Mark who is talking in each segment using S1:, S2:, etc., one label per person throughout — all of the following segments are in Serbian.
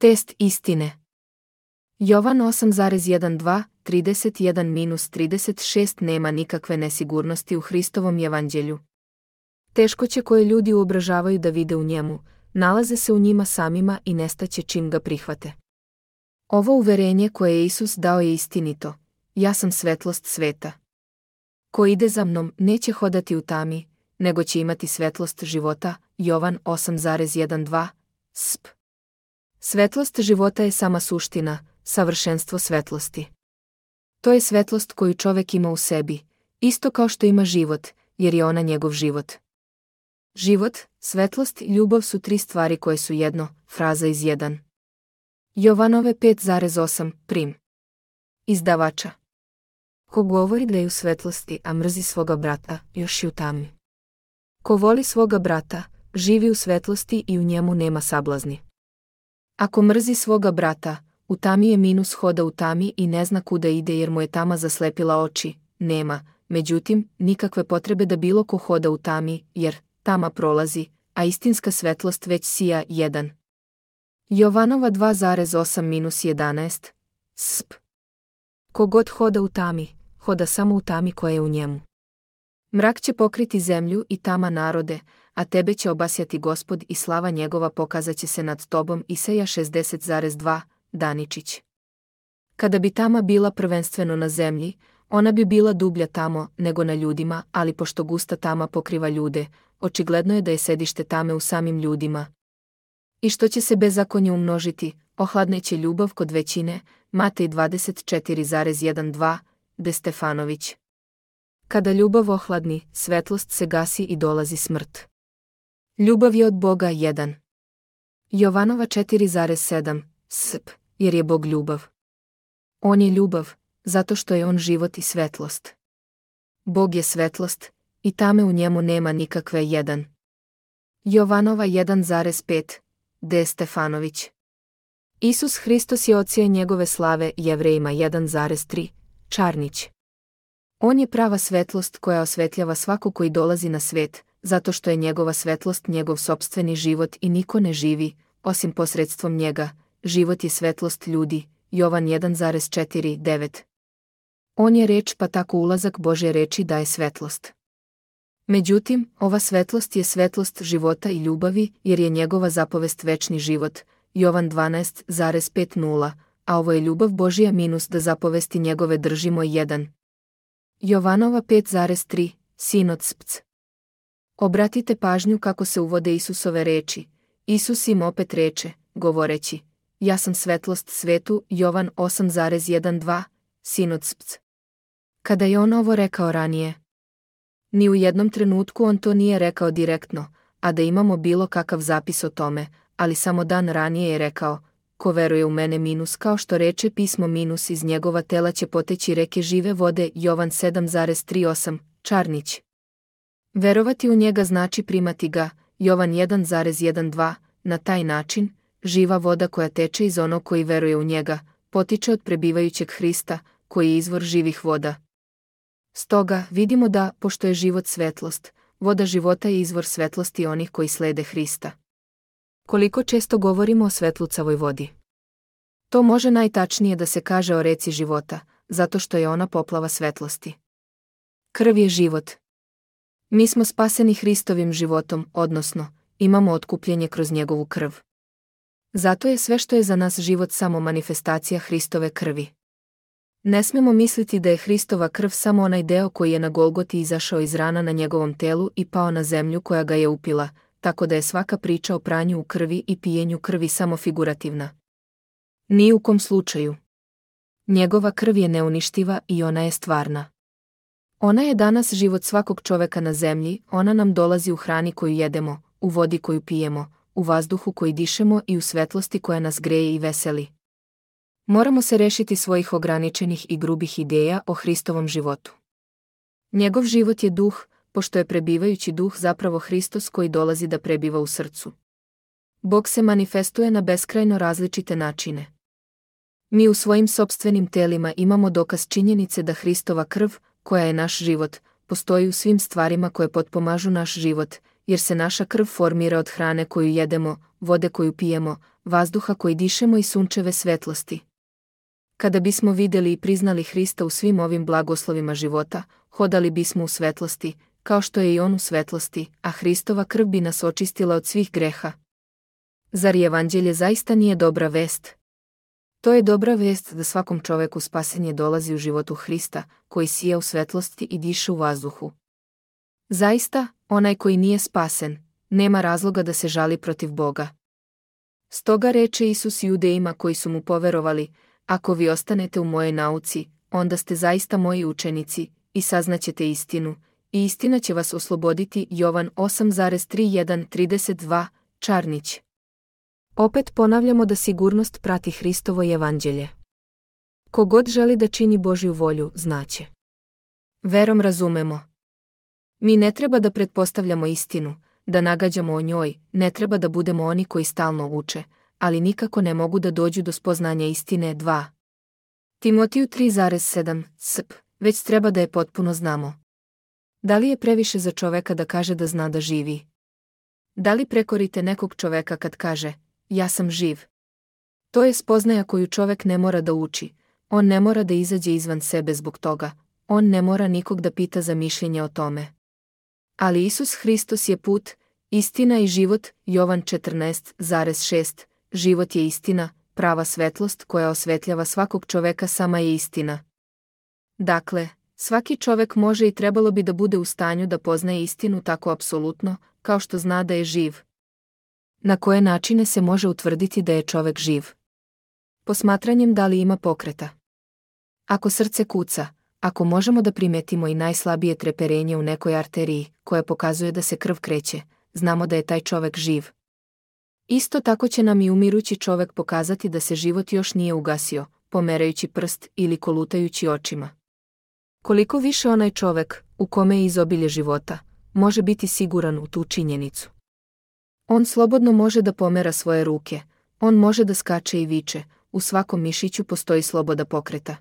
S1: Test istine. Jovan 8,12-31-36 Nema nikakve nesigurnosti u Hristovom evanđelju. Teškoće koje ljudi uobražavaju da vide u njemu, nalaze se u njima samima i nestaće čim ga prihvate. Ovo uverenje koje je Isus dao je istinito. Ja sam svetlost sveta. Ko ide za mnom neće hodati u tami, nego će imati svetlost života. Jovan 8,12 sp. Svetlost života je sama suština, savršenstvo svetlosti. To je svetlost koju čovek ima u sebi, isto kao što ima život, jer je ona njegov život. Život, svetlost i ljubav su tri stvari koje su jedno, fraza iz 1. Jovanove 5,8 prim. Izdavača. Ko govori da je u svetlosti, a mrzi svoga brata, još je u tami. Ko voli svoga brata, živi u svetlosti i u njemu nema sablazni. Ako mrzi svoga brata, u tami je minus hoda u tami i ne zna kuda ide jer mu je tama zaslepila oči, nema, međutim, nikakve potrebe da bilo ko hoda u tami, jer tama prolazi, a istinska svetlost već sija 1. Jovanova 2,8-11 sp. Kogod hoda u tami, hoda samo u tami koja je u njemu. Mrak će pokriti zemlju i tama narode, a tebe će obasjati Gospod i slava njegova pokazat će se nad tobom. Isaija 60,2 Daničić. Kada bi tama bila prvenstveno na zemlji, ona bi bila dublja tamo nego na ljudima, ali pošto gusta tama pokriva ljude, očigledno je da je sedište tame u samim ljudima. I što će se bezakonje umnožiti, ohladneće ljubav kod većine. Matej 24,12 De Stefanović. Kada ljubav ohladni, svetlost se gasi i dolazi smrt. Ljubav je od Boga 1. Jovanova 4,7 sp. Jer je Bog ljubav. On je ljubav, zato što je on život i svetlost. Bog je svetlost, i tame u njemu nema nikakve 1. Jovanova 1,5 De Stefanović. Isus Hristos je odsjaj njegove slave. Jevrejima 1,3 Čarnić. On je prava svetlost koja osvetljava svako koji dolazi na svet, zato što je njegova svetlost njegov sopstveni život i niko ne živi, osim posredstvom njega. Život je svetlost ljudi. Jovan 1,4-9. On je reč, pa tako ulazak Božje reči daje svetlost. Međutim, ova svetlost je svetlost života i ljubavi, jer je njegova zapovest večni život. Jovan 12,5-0, a ovo je ljubav Božja minus da zapovesti njegove držimo 1. Jovanova 5,3 Sinodspc. Obratite pažnju kako se uvode Isusove reči. Isus im opet reče, govoreći, ja sam svetlost svetu. Jovan 8,12 Sinodspc. Kada je on ovo rekao ranije, ni u jednom trenutku on to nije rekao direktno, a da imamo bilo kakav zapis o tome, ali samo dan ranije je rekao, ko veruje u mene minus kao što reče pismo minus iz njegova tela će poteći reke žive vode. Jovan 7,38 Čarnić. Verovati u njega znači primati ga. Jovan 1,12 Na taj način, živa voda koja teče iz onog koji veruje u njega, potiče od prebivajućeg Hrista, koji je izvor živih voda. Stoga, vidimo da, pošto je život svetlost, voda života je izvor svetlosti onih koji slede Hrista. Koliko često govorimo o svetlucavoj vodi? To može najtačnije da se kaže o reci života, zato što je ona poplava svetlosti. Krv je život. Mi smo spaseni Hristovim životom, odnosno, imamo otkupljenje kroz njegovu krv. Zato je sve što je za nas život samo manifestacija Hristove krvi. Ne smemo misliti da je Hristova krv samo onaj deo koji je na Golgoti izašao iz rana na njegovom telu i pao na zemlju koja ga je upila, tako da je svaka priča o pranju u krvi i pijenju krvi samo figurativna. Ni u kom slučaju. Njegova krv je neuništiva i ona je stvarna. Ona je danas život svakog čoveka na zemlji, ona nam dolazi u hrani koju jedemo, u vodi koju pijemo, u vazduhu koji dišemo i u svetlosti koja nas greje i veseli. Moramo se rešiti svojih ograničenih i grubih ideja o Hristovom životu. Njegov život je duh, pošto je prebivajući duh zapravo Hristos koji dolazi da prebiva u srcu. Bog se manifestuje na beskrajno različite načine. Mi u svojim sopstvenim telima imamo dokaz činjenice da Hristova krv, koja je naš život, postoji u svim stvarima koje potpomažu naš život, jer se naša krv formira od hrane koju jedemo, vode koju pijemo, vazduha koji dišemo i sunčeve svetlosti. Kada bismo vidjeli i priznali Hrista u svim ovim blagoslovima života, hodali bismo u svetlosti, kao što je i on u svetlosti, a Hristova krv bi nas očistila od svih greha. Zar evanđelje zaista nije dobra vest? To je dobra vest da svakom čoveku spasenje dolazi u životu Hrista, koji sija u svetlosti i diše u vazduhu. Zaista, onaj koji nije spasen, nema razloga da se žali protiv Boga. Stoga reče Isus Judejima koji su mu poverovali: ako vi ostanete u mojoj nauci, onda ste zaista moji učenici, i saznaćete istinu, i istina će vas osloboditi. Jovan 8,31-32, Čarnić. Opet ponavljamo da sigurnost prati Hristovo evanđelje. Kogod želi da čini Božju volju, znaće. Verom razumemo. Mi ne treba da pretpostavljamo istinu, da nagađamo o njoj, ne treba da budemo oni koji stalno uče, ali nikako ne mogu da dođu do spoznanja istine. 2. Timotiju 3,7 sp. Već treba da je potpuno znamo. Da li je previše za čoveka da kaže da zna da živi? Da li prekorite nekog čoveka kad kaže: ja sam živ? To je spoznaja koju čovek ne mora da uči, on ne mora da izađe izvan sebe zbog toga, on ne mora nikog da pita za mišljenje o tome. Ali Isus Hristos je put, istina i život. Jovan 14,6. Život je istina, prava svetlost koja osvetljava svakog čoveka sama je istina. Dakle, svaki čovek može i trebalo bi da bude u stanju da poznaje istinu tako apsolutno, kao što zna da je živ. Na koje načine se može utvrditi da je čovek živ? Posmatranjem da li ima pokreta. Ako srce kuca, ako možemo da primetimo i najslabije treperenje u nekoj arteriji, koja pokazuje da se krv kreće, znamo da je taj čovek živ. Isto tako će nam i umirući čovek pokazati da se život još nije ugasio, pomerajući prst ili kolutajući očima. Koliko više onaj čovek, u kome je izobilje života, može biti siguran u tu činjenicu. On slobodno može da pomera svoje ruke, on može da skače i viče, u svakom mišiću postoji sloboda pokreta.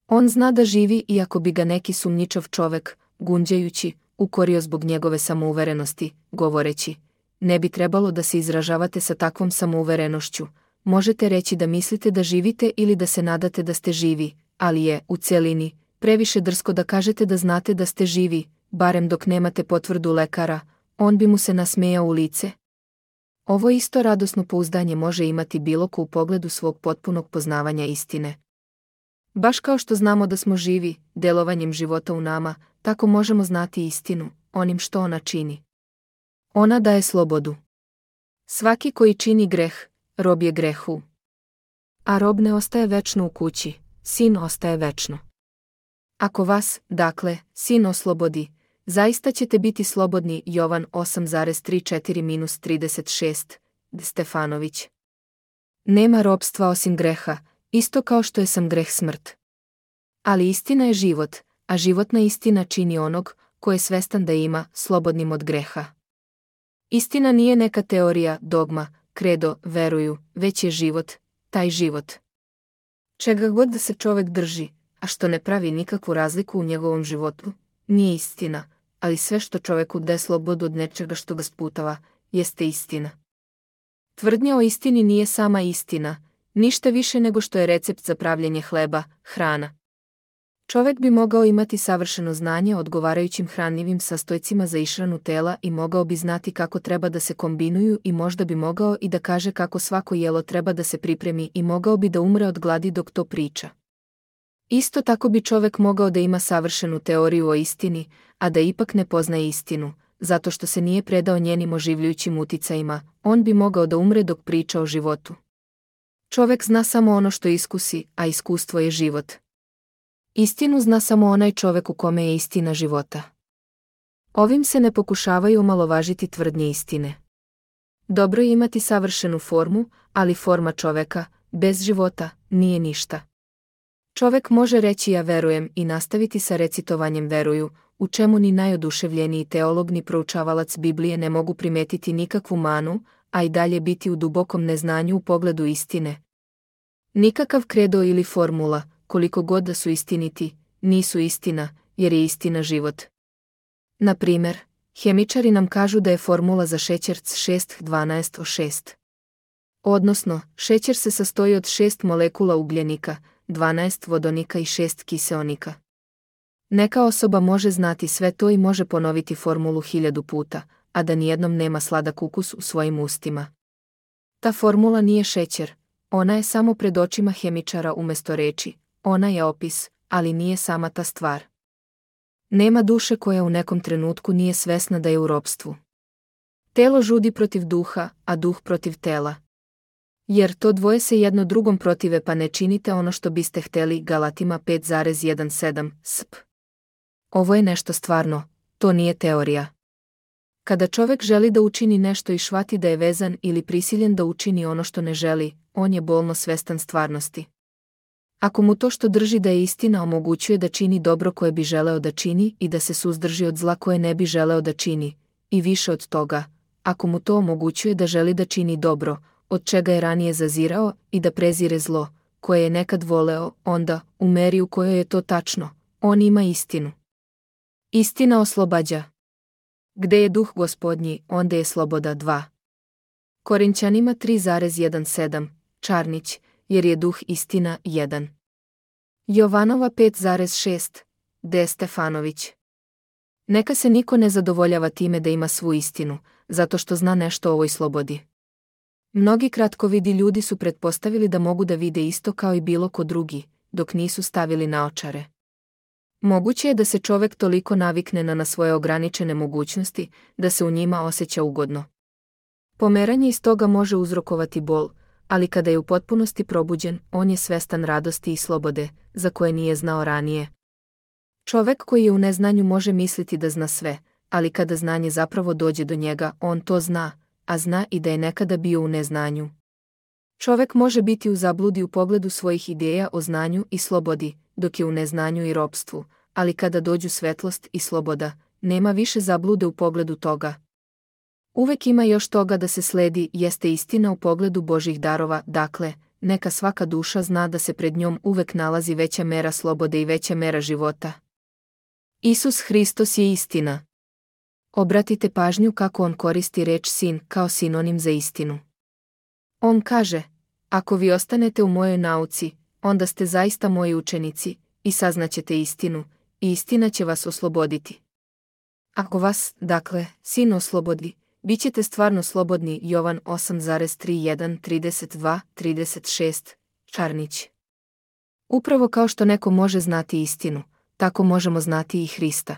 S1: On zna da živi iako bi ga neki sumnjičav čovek, gunđajući, ukorio zbog njegove samouverenosti, govoreći: ne bi trebalo da se izražavate sa takvom samouverenošću, možete reći da mislite da živite ili da se nadate da ste živi, ali je, u celini, previše drsko da kažete da znate da ste živi, barem dok nemate potvrdu lekara. On bi mu se nasmejao u lice. Ovo isto radosno pouzdanje može imati bilo ko u pogledu svog potpunog poznavanja istine. Baš kao što znamo da smo živi, delovanjem života u nama, tako možemo znati istinu, onim što ona čini. Ona daje slobodu. Svaki koji čini greh, rob je grehu. A rob ne ostaje večno u kući, sin ostaje večno. Ako vas, dakle, sin oslobodi, zaista ćete biti slobodni. Jovan 8,34-36, Stefanović. Nema robstva osim greha, isto kao što je sam greh smrt. Ali istina je život, a životna istina čini onog, ko je svestan da ima, slobodnim od greha. Istina nije neka teorija, dogma, kredo, veruju, već je život, taj život. Čega god da se čovek drži, a što ne pravi nikakvu razliku u njegovom životu, nije istina, ali sve što čoveku daje slobodu od nečega što ga sputava, jeste istina. Tvrdnja o istini nije sama istina, ništa više nego što je recept za pravljenje hleba, hrana. Čovek bi mogao imati savršeno znanje o odgovarajućim hranljivim sastojcima za ishranu tela i mogao bi znati kako treba da se kombinuju i možda bi mogao i da kaže kako svako jelo treba da se pripremi i mogao bi da umre od gladi dok to priča. Isto tako bi čovek mogao da ima savršenu teoriju o istini, a da ipak ne poznaje istinu, zato što se nije predao njenim oživljujućim uticajima, on bi mogao da umre dok priča o životu. Čovek zna samo ono što iskusi, a iskustvo je život. Istinu zna samo onaj čovek u kome je istina života. Ovim se ne pokušavaju omalovažiti tvrdnje istine. Dobro je imati savršenu formu, ali forma čoveka, bez života, nije ništa. Čovek može reći ja verujem i nastaviti sa recitovanjem veruju, u čemu ni najoduševljeniji teolog ni proučavalac Biblije ne mogu primetiti nikakvu manu, a i dalje biti u dubokom neznanju u pogledu istine. Nikakav kredo ili formula, koliko god da su istiniti, nisu istina, jer je istina život. Na primer, hemičari nam kažu da je formula za šećer C6H12O6. Odnosno, šećer se sastoji od 6 molekula ugljenika, 12 vodonika i 6 kiseonika. Neka osoba može znati sve to i može ponoviti formulu 1000 puta, a da nijednom nema sladak ukus u svojim ustima. Ta formula nije šećer, ona je samo pred očima hemičara umjesto reči, ona je opis, ali nije sama ta stvar. Nema duše koja u nekom trenutku nije svesna da je u ropstvu. Telo žudi protiv duha, a duh protiv tela. Jer to dvoje se jedno drugom protive pa ne činite ono što biste hteli. Galatima 5,17 sp. Ovo je nešto stvarno, to nije teorija. Kada čovjek želi da učini nešto i shvati da je vezan ili prisiljen da učini ono što ne želi, on je bolno svestan stvarnosti. Ako mu to što drži da je istina omogućuje da čini dobro koje bi želeo da čini i da se suzdrži od zla koje ne bi želeo da čini, i više od toga, ako mu to omogućuje da želi da čini dobro, od čega je ranije zazirao, i da prezire zlo, koje je nekad voleo, onda, u meri u kojoj je to tačno, on ima istinu. Istina oslobađa. Gde je duh Gospodnji, onda je sloboda. 2. Korinćanima 3,17, Čarnić, jer je duh istina. 1. Jovanova 5,6, D. Stefanović. Neka se niko ne zadovoljava time da ima svu istinu, zato što zna nešto o ovoj slobodi. Mnogi kratkovidi ljudi su pretpostavili da mogu da vide isto kao i bilo ko drugi, dok nisu stavili naočare. Moguće je da se čovjek toliko navikne na svoje ograničene mogućnosti, da se u njima osjeća ugodno. Pomeranje iz toga može uzrokovati bol, ali kada je u potpunosti probuđen, on je svestan radosti i slobode, za koje nije znao ranije. Čovjek koji je u neznanju može misliti da zna sve, ali kada znanje zapravo dođe do njega, on to zna, a zna i da je nekada bio u neznanju. Čovjek može biti u zabludi u pogledu svojih ideja o znanju i slobodi, dok je u neznanju i ropstvu, ali kada dođu svetlost i sloboda, nema više zablude u pogledu toga. Uvek ima još toga da se sledi, jeste istina u pogledu Božjih darova, dakle, neka svaka duša zna da se pred njom uvek nalazi veća mera slobode i veća mera života. Isus Hristos je istina. Obratite pažnju kako on koristi reč sin kao sinonim za istinu. On kaže, ako vi ostanete u mojoj nauci, onda ste zaista moji učenici, i saznaćete istinu, i istina će vas osloboditi. Ako vas, dakle, sin oslobodi, bit ćete stvarno slobodni. Jovan 8,31-32-36, Čarnić. Upravo kao što neko može znati istinu, tako možemo znati i Hrista.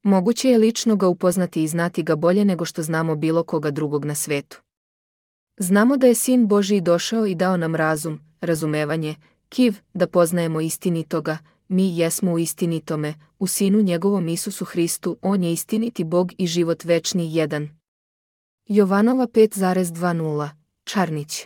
S1: Moguće je lično ga upoznati i znati ga bolje nego što znamo bilo koga drugog na svetu. Znamo da je Sin Božji došao i dao nam razum, razumevanje, kiv, da poznajemo istinitoga, mi jesmo u istinitome, u Sinu njegovom Isusu Hristu, on je istiniti Bog i život večni. 1. Jovanova 5,20, Čarnić.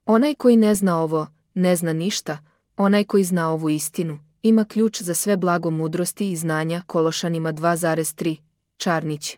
S1: Onaj koji ne zna ovo, ne zna ništa, onaj koji zna ovu istinu, ima ključ za sve blago mudrosti i znanja. Kološanima 2,3, Čarnić.